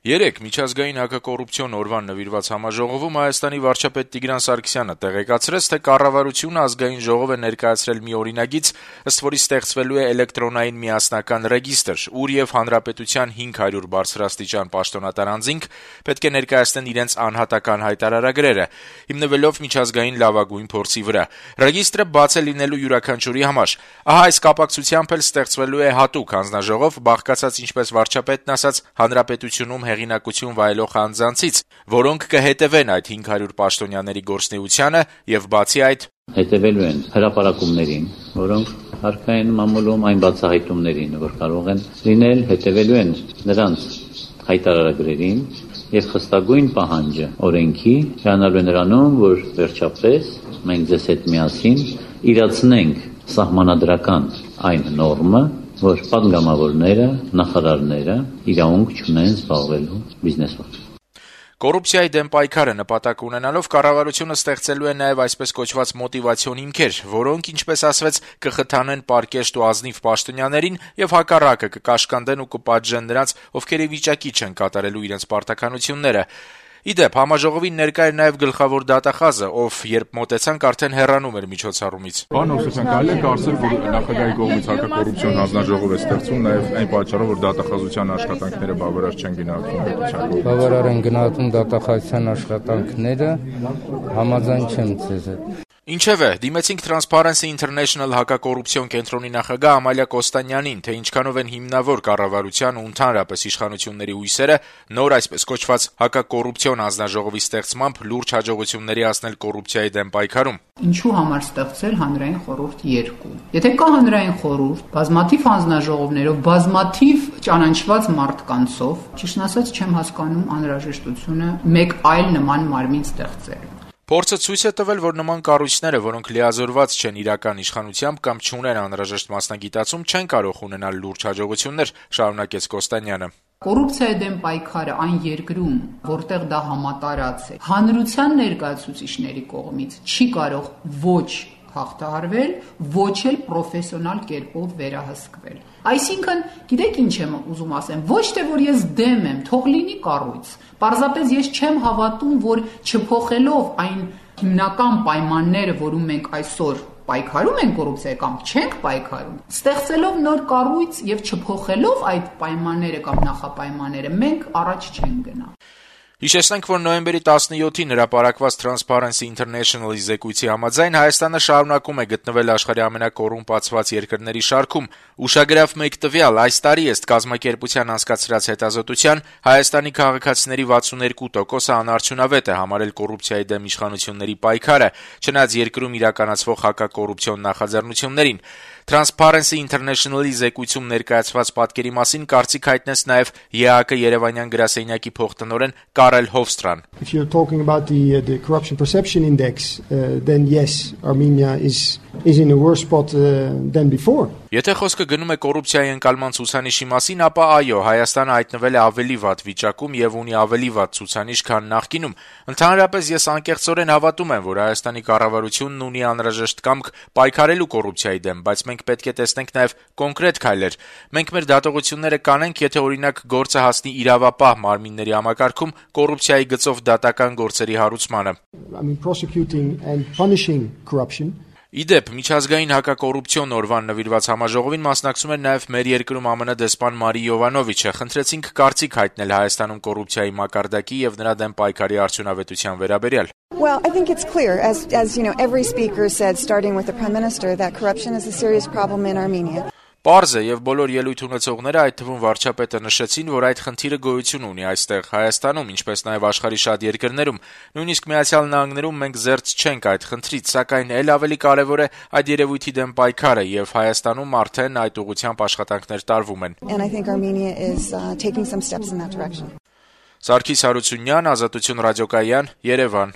Երեկ միջազգային հակակոռուպցիոն օրվան նվիրված համաժողովում Հայաստանի վարչապետ Տիգրան Սարգսյանը տեղեկացրեց, թե կառավարությունը ազգային ժողով է ներկայացրել մի օրինագիծ, ըստ որի ստեղծվելու է էլեկտրոնային միասնական ռեգիստր, ուր եւ հանրապետության 500 բարձրաստիճան պաշտոնատար անձինք պետք է ներկայացնեն իրենց անհատական հայտարարագրերը, հիմնվելով միջազգային լավագույն փորձի վրա։ Ռեգիստրը բաց է լինելու յուրաքանչյուրի համար։ Ահա այս կապակցությամբ էլ ստեղծվելու է հատուկ հանձնաժողով, բաղկացած, ինչպես վարչապետն ասաց, հանրապետությունում հեղինակություն վայելող անձանցից, որոնք կհետևեն այդ 500 պաշտոնյաների գործունեությանը եւ բացի այդ հետևելու են հրապարակումներին, որոնք հարկային են մամուլում այն բացահայտումներին, որ կարող են լինել, հետևելու են նրանց հայտարարագրերին եւ խստագույն պահանջը օրենքի հրանալու է նրանում, որ վերջապես մենք ձեզ հետ միասին իրացնենք սահմանադրական այն նորմը, որ պատգամավորները, նախարարները իրավունք չունեն զբաղվելու բիզնեսով։ Կոռուպցիայի դեմ պայքարը նպատակ ունենալով կառավարությունը ստեղծելու է նաև այսպես կոչված մոտիվացիոն հիմքեր, որոնք, ինչպես ասվեց, կխթանեն պարկեշտ ու ազնիվ պաշտոնյաներին եւ հակառակը կկաշկանդեն ու կպատժեն նրանց, ովքեր ի վիճակի չեն կատարելու իրենց պարտականությունները։ Իդեպ, համաժողովին ներկա էր նաև գլխավոր դատախազը, ով երբ մոտեցանք արդեն հեռանում էր միջոցառումից։ Պարոն Հովսեփյան, կարելի է կարծել, որ նախագահի կողմից հակակոռուպցիոն հանձնաժողով է ստեղծվում նաև այն պատճառով, որ դատախազության աշխատանքները բավարար չեն գնահատվում պետության կողմից։ Բավարար են գնահատում դատախազության աշխատանքները, համաձայն չեմ ձեզ հետ։ Ինչևէ, դիմեցինք Transparency International հակակոռուպցիոն կենտրոնի նախագահ Ամալիա Կոստանյանին, թե ինչքանով են հիմնավոր կառավարության ու ընդհանրապես իշխանությունների հույսերը նոր այսպես կոչված հակակոռուպցիոն հանձնաժողովի ստեղծմամբ լուրջ հաջողությունների հասնել կոռուպցիայի դեմ պայքարում։ Ինչու համար ստեղծել հանրային խորհուրդ 2։ Եթե կա հանրային խորհուրդ, բազմաթիվ հանձնաժողովներով, բազմաթիվ ճանաչված մարդկանցով, ճիշտն ասած չեմ հասկանում անհրաժեշտությունը մեկ այլ նման մարմին ստեղծել։ Փորձը ցույց է տվել, որ նման կառույցները, որոնք լիազորված չեն իրական իշխանությամբ կամ չունեն անհրաժեշտ մասնագիտացում, չեն կարող ունենալ լուրջ հաջողություններ, շարունակեց Կոստանյանը։ Կոռուպցիայի դեմ պայքարը այն երկրում, որտեղ դա համատարած է, հանրության ներկայացուցիչների կողմից չի կարող ոչ հաղթահարվել, ոչ էլ պրոֆեսիոնալ կերպով վերահսկվել։ Այսինքն, գիտեք ինչ եմ ուզում ասեմ, ոչ թե որ ես դեմ եմ, թող լինի կառույց։ Պարզապես ես չեմ հավատում, որ չփոխելով այն հիմնական պայմանները, որում մենք այսօր պայքարում ենք կոռուպցիայի կամ չենք պայքարում, ստեղծելով նոր կառույց եւ չփոխելով այդ պայմանները կամ նախապայմանները, մենք առաջ չենք գնա։ Հիշեցնենք, որ նոյեմբերի 17-ին հրապարակված Transparency International-ի զեկույցի համաձայն Հայաստանը շարունակում է գտնվել աշխարհի ամենակոռումպացված երկրների շարքում։ Ուշագրավ մեկ տվյալ, այս տարի ըստ կազմակերպության անցկացրած հետազոտության Հայաստանի քաղաքացիների 62%-ը անարդյունավետ է համարել կոռուպցիայի դեմ իշխանությունների պայքարը, չնայած երկրում իրականացվող հակակոռուպցիոն նախաձեռնություններին։ Transparency International-ի զեկույցում ներկայացված պատկերի մասին կարծիք հայտնեց նաև ԵԱԿ Երևանյան գրասենյակի փոխտնօրեն Կարել Հովստրան։ If you're talking about the corruption perception index, then yes, Armenia is in a worse spot than before. Եթե խոսքը գնում է կոռուպցիայի ընկալման ցուցանիշի մասին, ապա այո, Հայաստանը հայտնվել է ավելի վատ վիճակում եւ ունի ավելի վատ ցուցանիշ, քան նախկինում։ Ընդհանրապես ես անկեղծորեն հավատում եմ, որ Հայաստանի կառավարությունն ունի անհրաժեշտ կամք պայքարելու կոռուպցիայի դեմ, բայց մենք պետք է տեսնենք նաեւ կոնկրետ քայլեր։ Մենք մեր դատողությունները կանենք, եթե օրինակ գործը հասնի իրավապահ մարմինների համակարգում կոռուպցիայի գծով դատական գործերի հարուցմանը։ Prosecuting and punishing corruption. Իդեպ, միջազգային հակակոռուպցիոն օրվան նվիրված համաժողովին մասնակցում էր նաև մեր երկրում ԱՄՆ դեսպան Մարի Յովանովիչը։ Խնդրեցինք կարծիք հայտնել Հայաստանում կոռուպցիայի մակարդակի եւ նրա դեմ պայքարի արդյունավետության վերաբերյալ։ Well, I think it's clear, as you know, every speaker said, starting with the Prime Minister, that corruption is a serious problem in Armenia. Պարզ է եւ բոլոր ելույթ ունեցողները, այդ թվում վարչապետը, նշեցին, որ այդ խնդիրը գոյություն ունի այստեղ Հայաստանում, ինչպես նաեւ աշխարհի շատ երկրներում, նույնիսկ Միացյալ Նահանգներում մենք զերծ չենք այդ խնդրից, սակայն ել ավելի կարեւոր է այդ երևույթի դեմ պայքարը եւ Հայաստանում արդեն այդ ուղղությամբ աշխատանքներ տարվում են։ And I think Armenia is taking some steps in that direction. Սարգիս Հարությունյան, Ազատություն ռադիոկայան, Երևան։